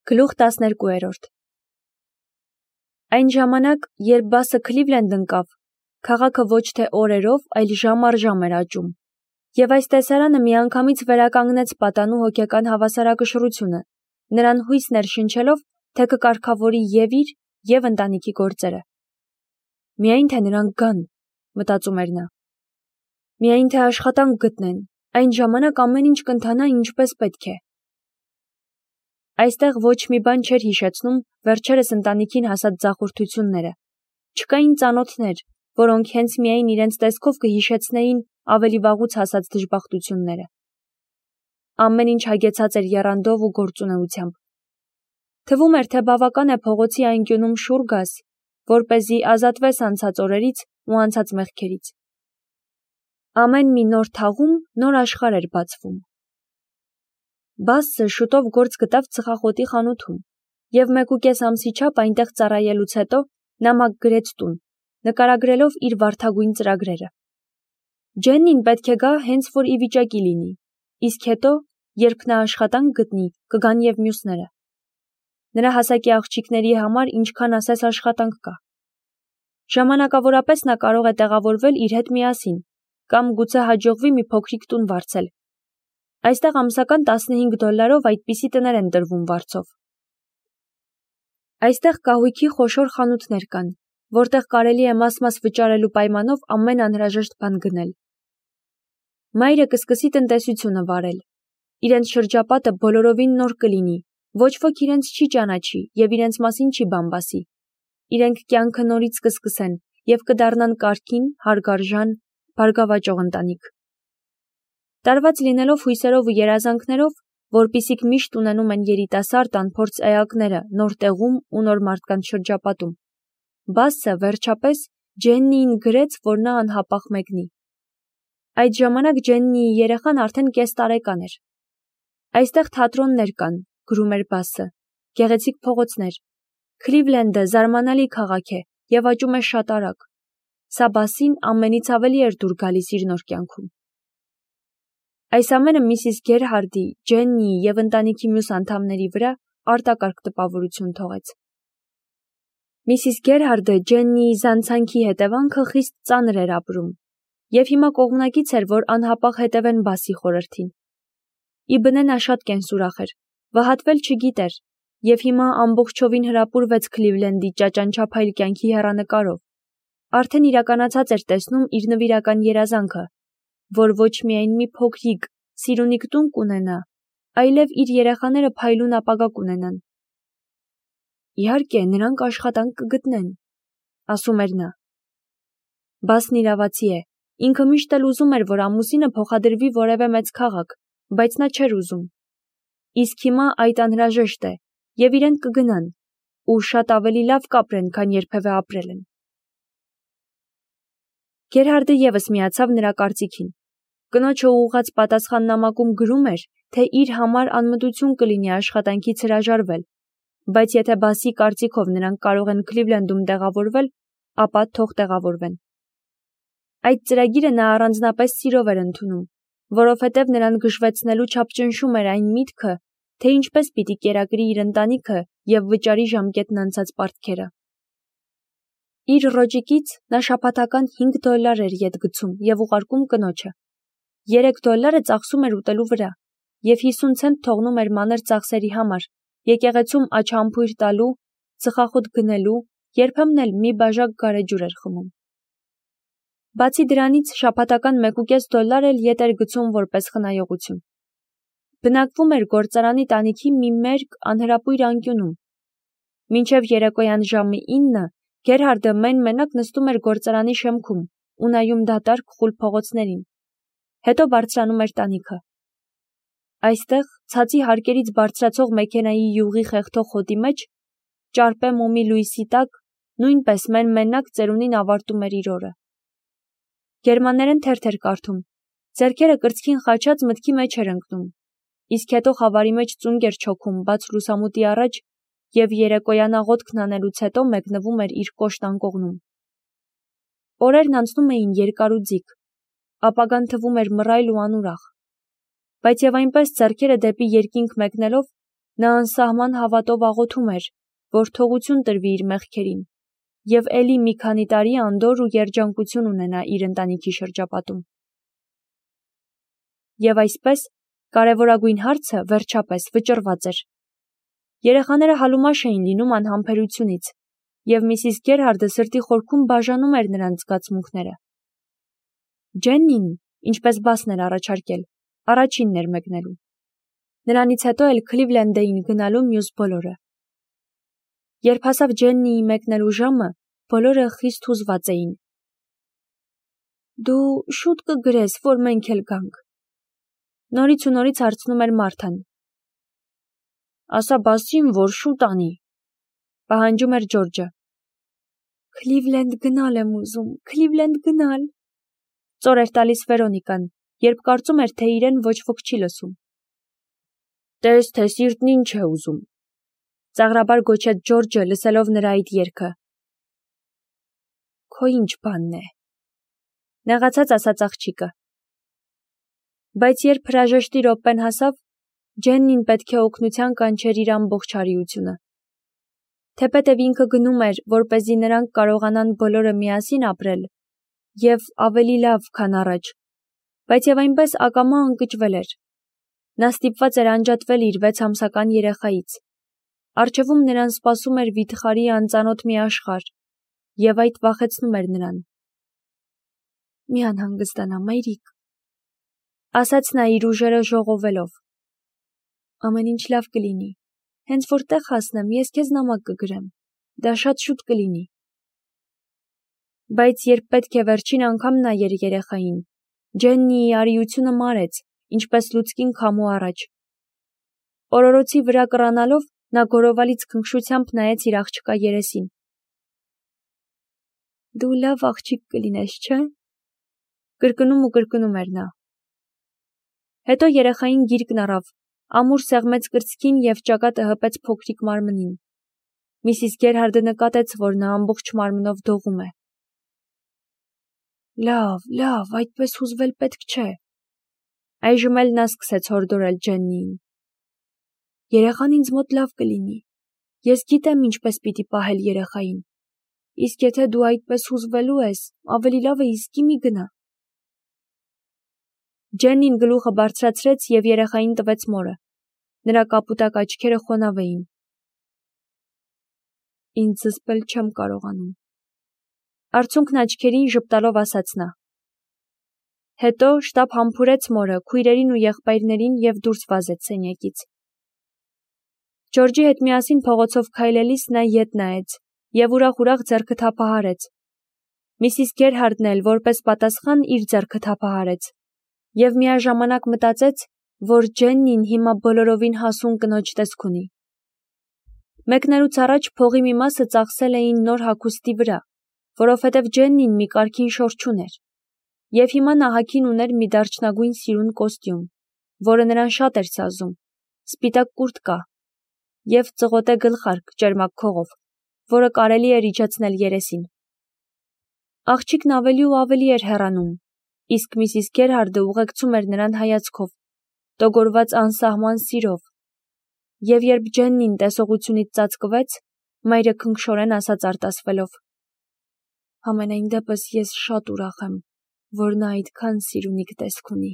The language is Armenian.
Գլուխ 12 Այն ժամանակ, երբ Բասը Քլիվլենդ ընկավ, քաղաքը ոչ թե օրերով, այլ ժամ առ ժամ էր աճում, և այս տեսարանը միանգամից վերականգնեց պատանու հոգեկան հավասարակշռությունը, նրան հույս ներշնչելով, թե կկարգավորի և իր, և ընտանիքի գործերը։ Միայն թե նրանք գան, մտածում էր նա։ Միայն թե աշխատանք գտնեն, այն ժամանակ ամեն ինչ կընթանա ինչպես պետք է։ Այստեղ ոչ մի բան չէր հիշեցնում վերջերս ընտանիքին հասած ձախորդությունները։ Չկային ծանոթներ, որոնք հենց միայն իրենց տեսքով կհիշեցնեին ավելի վաղուց հասած դժբախտությունները։ Ամեն ինչ հագեցած էր եռանդով ու գործունեությամբ։ Թվում էր, թե բավական է փողոցի անկյունում շուռ գաս, որպեսզի ազատվես անցած օրերից ու անցած մեղքերից։ Ամեն մի նոր թաղում նոր աշխարհ էր բացվում։ Բասը շուտով գործ գտավ ծխախոտի խանութում, և 1.5 ամսի չափ այնտեղ ծառայելուց հետո նա մագ-գրեց տուն, նկարագրելով իր վարդագույն ծրագրերը։ Ջեննին պետք է գա հենց որ ի վիճակի լինի, իսկ հետո, երբ նա աշխատանք գտնի, կգան և մյուսները։ Նրա հասակի աղջիկների համար ինչքան ասես աշխատանք կա։ Ժամանակավորապես նա կարող է տեղավորվել իր հետ միասին, կամ գուցե հաջողվի մի փոքրիկ տուն վարձել։ Այստեղ ամսական $15 այդպիսի տներ են տրվում վարձով։ Այստեղ կահույքի խոշոր խանութներ կան, որտեղ կարելի է մաս-մաս վճարելու պայմանով ամեն անհրաժեշտ բան գնել։ Մայրը կսկսի տնտեսությունը վարել։ Իրենց շրջապատը բոլորովին նոր կլինի, ոչ ոք իրենց չի ճանաչի և իրենց մասին չի բամբասի։ Իրենք կյանքը նորից կսկսեն և կդառնան կարգին, հարգարժան, բարգավաճող ընտանիք։ Տարված լինելով հույսերով ու երազանքներով, որպիսիք միշտ ունենում են երիտասարդ անփորձ էակները նոր տեղում ու նոր մարդկանց շրջապատում, Բասը, վերջապես, Ջեննիին գրեց, որ նա անհապաղ մեկնի։ Այդ ժամանակ Ջեննիի երեխան արդեն կես տարեկան էր։ Այստեղ թատրոններ կան, գրում էր Բասը, գեղեցիկ փողոցներ։ Քլիվլենդը զարմանալի քաղաք է և աճում է շատ արագ։ Սա Բասին ամենից ավելի էր դուր գալիս իր նոր կյանքում։ Այս ամենը Միսիս Գերհարդի, Ջեննիի և ընտանիքի մյուս անդամների վրա արտակարգ տպավորություն թողեց։ Միսիս Գերհարդը Ջեննիի զանցանքի հետևանքը խիստ ծանր էր ապրում, և հիմա կողմնակից էր, որ անհապաղ հետևեն Բասի խորհրդին։ Ի բնե նա շատ կենսուրախ էր, վհատվել չգիտեր, և հիմա ամբողջովին հրապուրվեց Քլիվլենդի ճաճանչափայլ կյանքի հեռանկարով։ Արդեն իրականացած էր տեսնում իր նվիրական երազանքը, որ ոչ միայն մի փոքրիկ, սիրունիկ տուն կունենա, այլև իր երեխաները փայլուն ապագա կունենան։ Իհարկե, նրանք աշխատանք կգտնեն, ասում էր նա։ Բասն իրավացի է, ինքը միշտ էլ ուզում էր, որ ամուսինը փոխադրվի որևէ մեծ քաղաք, բայց նա չէր ուզում։ Իսկ հիմա այդ անհրաժեշտ է, և իրենք կգնան, ու շատ ավելի լավ կապրեն, քան երբևէ ապրել են։ Գերհարդը ևս միացավ նրա կարծիքին։ Կնոջը ուղղած պատասխաննամակում գրում էր, թե իր համար անմտություն կլինի աշխատանքից հրաժարվել, բայց եթե Բասի կարծիքով նրանք կարող են Քլիվլենդում տեղավորվել, ապա թող տեղավորվեն։ Այդ ծրագիրը նա առանձնապես սիրով էր ընդունում, որովհետև նրան գժվեցնելու չափ ճնշում էր այն միտքը, թե ինչպես պիտի կերակրի իր ընտանիքը և վճարի ժամկետն անցած պարտքերը։ Իր ռոճիկից նա շաբաթական $5 էր ետ գցում և ուղարկում կնոջը։ $3 ծախսում էր ուտելու վրա, և 50 ցենտ թողնում էր մանր ծախսերի համար, եկեղեցում աչամփույր տալու, ծխախոտ գնելու, երբեմն էլ մի բաժակ գարեջուր էր խմում։ Բացի դրանից, շաբաթական $1.5 էլ ետ էր գցում որպես խնայողություն։ Բնակվում էր գործարանի տանիքի մի մերկ, անհրապույր անկյունում։ Մինչև երեկոյան ժամը 9 Գերհարդը մեն-մենակ նստում էր գործարանի շեմքում ու նայում դատարկ խուլ փողոցներին։ Հետո բարձրանում էր տանիքը։ Այստեղ, ցածի հարկերից բարձրացող մեքենայի յուղի խեղդող հոտի մեջ, ճարպե մոմի լույսի տակ, նույնպես մեն-մենակ ծերունին ավարտում էր իր օրը։ Գերմաներեն թերթ էր կարդում, ձեռքերը կրծքին խաչած մտքի մեջ էր ընկնում, իսկ հետո խավարի մեջ ծունկ էր չոքում բաց լուսամուտի առաջ և երեկոյան աղոթքն անելուց հետո մեկնվում էր իր կոշտ անկողնում։ Օրերն անցնում էին երկար ու ձիգ, ապագան թվում էր մռայլ ու անուրախ, բայց և այնպես ձեռքերը դեպի երկինք մեկնելով, Նա անսահման հավատով աղոթում էր, որ թողություն տրվի իր մեղքերին, և էլի մի քանի տարի անդորր ու երջանկություն ունենա իր ընտանիքի շրջապատում։ Եվ այսպես, կարևորագույն հարցը, վերջապես, վճռված էր։ Երեխաները հալումաշ էին լինում անհամբերությունից, և Միսիս Գերհարդը սրտի խորքում բաժանում էր նրանց զգացմունքները։ Ջեննին, ինչպես բասն էր առաջարկել, առաջինն էր մեկնելու։ Նրանից հետո էլ Քլիվլենդ էին գնալու մյուս բոլորը։ Երբ հասավ Ջեննիի մեկնելու ժամը, բոլորը խիստ հուզված էին։ Դու շուտ կգրես, որ մենք էլ գանք։ Նորից ու նորից հարցնում էր Մարթան։ Ասա բասին, որ շուտ անի, պահանջում էր Ջորջը։ Քլիվլենդ գնալ եմ ուզում, Քլիվլենդ գնալ, ծոր էր տալիս Վերոնիկան, երբ կարծում էր, թե իրեն ոչ ոք չի լսում։ Տես, թե սիրտն ինչ է ուզում, ծաղրաբար գոչեց Ջորջը, լսելով նրա այդ երգը։ Քո ինչ բանն է, նեղացած ասաց աղջիկը։ Բայց երբ հրաժեշտի րոպեն հասավ, Ջեննին պետք է օգնության կանչեր իր ամբողջ արիությունը։ Թեպետև ինքը գնում էր, որպեսզի նրանք կարողանան բոլորը միասին ապրել և ավելի լավ, քան առաջ, բայց և այնպես ակամա ընկճվել էր։ Նա ստիպված էր անջատվել իր 6 ամսական երեխայից։ Առջևում նրան սպասում էր վիթխարի անծանոթ մի աշխարհ, և այդ վախեցնում էր նրան։ Մի անհանգստանա, մայրիկ, ասաց նա իր ուժերը ժողովելով։ Ամեն ինչ լավ կլինի, հենց որ տեղ հասնեմ, ես քեզ նամակ կգրեմ, դա շատ շուտ կլինի։ Բայց երբ պետք է վերջին անգամ նայեր երեխային, Ջեննիի արիությունը մարեց, ինչպես լուցկին քամու առաջ։ Օրորոցի վրա կռանալով, նա գորովալից քնքշությամբ նայեց իր աղջկա երեսին։ Դու լավ աղջիկ կլինես, չէ՞։ Կրկնում ու կրկնում էր նա։ Հետո երեխային գիրկն առավ, ամուր սեղմեց կրծքին և ճակատը հպեց փոքրիկ մարմնին։ Միսիս Գերհարդը նկատեց, որ նա ամբողջ մարմնով դողում է։ Լավ, այդպես հուզվել պետք չէ։ Այժմ էլ նա սկսեց հորդորել Ջեննիին։ Երեխան ինձ մոտ լավ կլինի։ Ես գիտեմ ինչպես պիտի պահել երեխային։ Իսկ եթե դու այդպես հուզվելու ես, ավելի լավ է իսկի մի գնա։ Ջեննին գլուխը բարձրացրեց և երեխային տվեց մորը։ Նրա կապուտակ աչքերը խոնավ էին։ Ինձ զսպել չեմ կարողանում։ Արցունքն աչքերին ժպտալով ասաց նա։ Հետո շտապ համբուրեց մորը, քույրերին ու եղբայրներին և դուրս վազեց սենյակից։ Ջորջի հետ միասին փողոցով քայլելիս նա ետ նայեց և ուրախ ձեռքը թափահարեց։ Միսիս Գերհարդն էլ որպես պատասխան իր ձեռքը թափահարեց և միաժամանակ մտածեց, որ Ջեննին հիմա բոլորովին հասուն կնոջ տեսք ունի։ Մեկնելուց առաջ փողի մի մասը ծախսել էին նոր հագուստի վրա, որովհետև Ջեննին մի կարգին շոր չուներ, և հիմա նա հագին ուներ մի դարչնագույն սիրուն կոստյում, որը նրան շատ էր սազում, սպիտակ կուրտկա և ծղոտե գլխարկ ճերմակ քողով, որը կարելի էր իջեցնել երեսին։ Աղջիկն ավելի ու ավելի էր հեռանում, իսկ Միսիս Գերհարդը ուղեկցում էր նրան հայացքով, տոգորված անսահման սիրով, և երբ Ջեննին տեսողությունից ծածկվեց, մայրը քնքշորեն ասաց արտասվելով. Համենայն դեպս ես շատ ուրախ եմ, որ նա այդքան սիրունիկ տեսք ունի։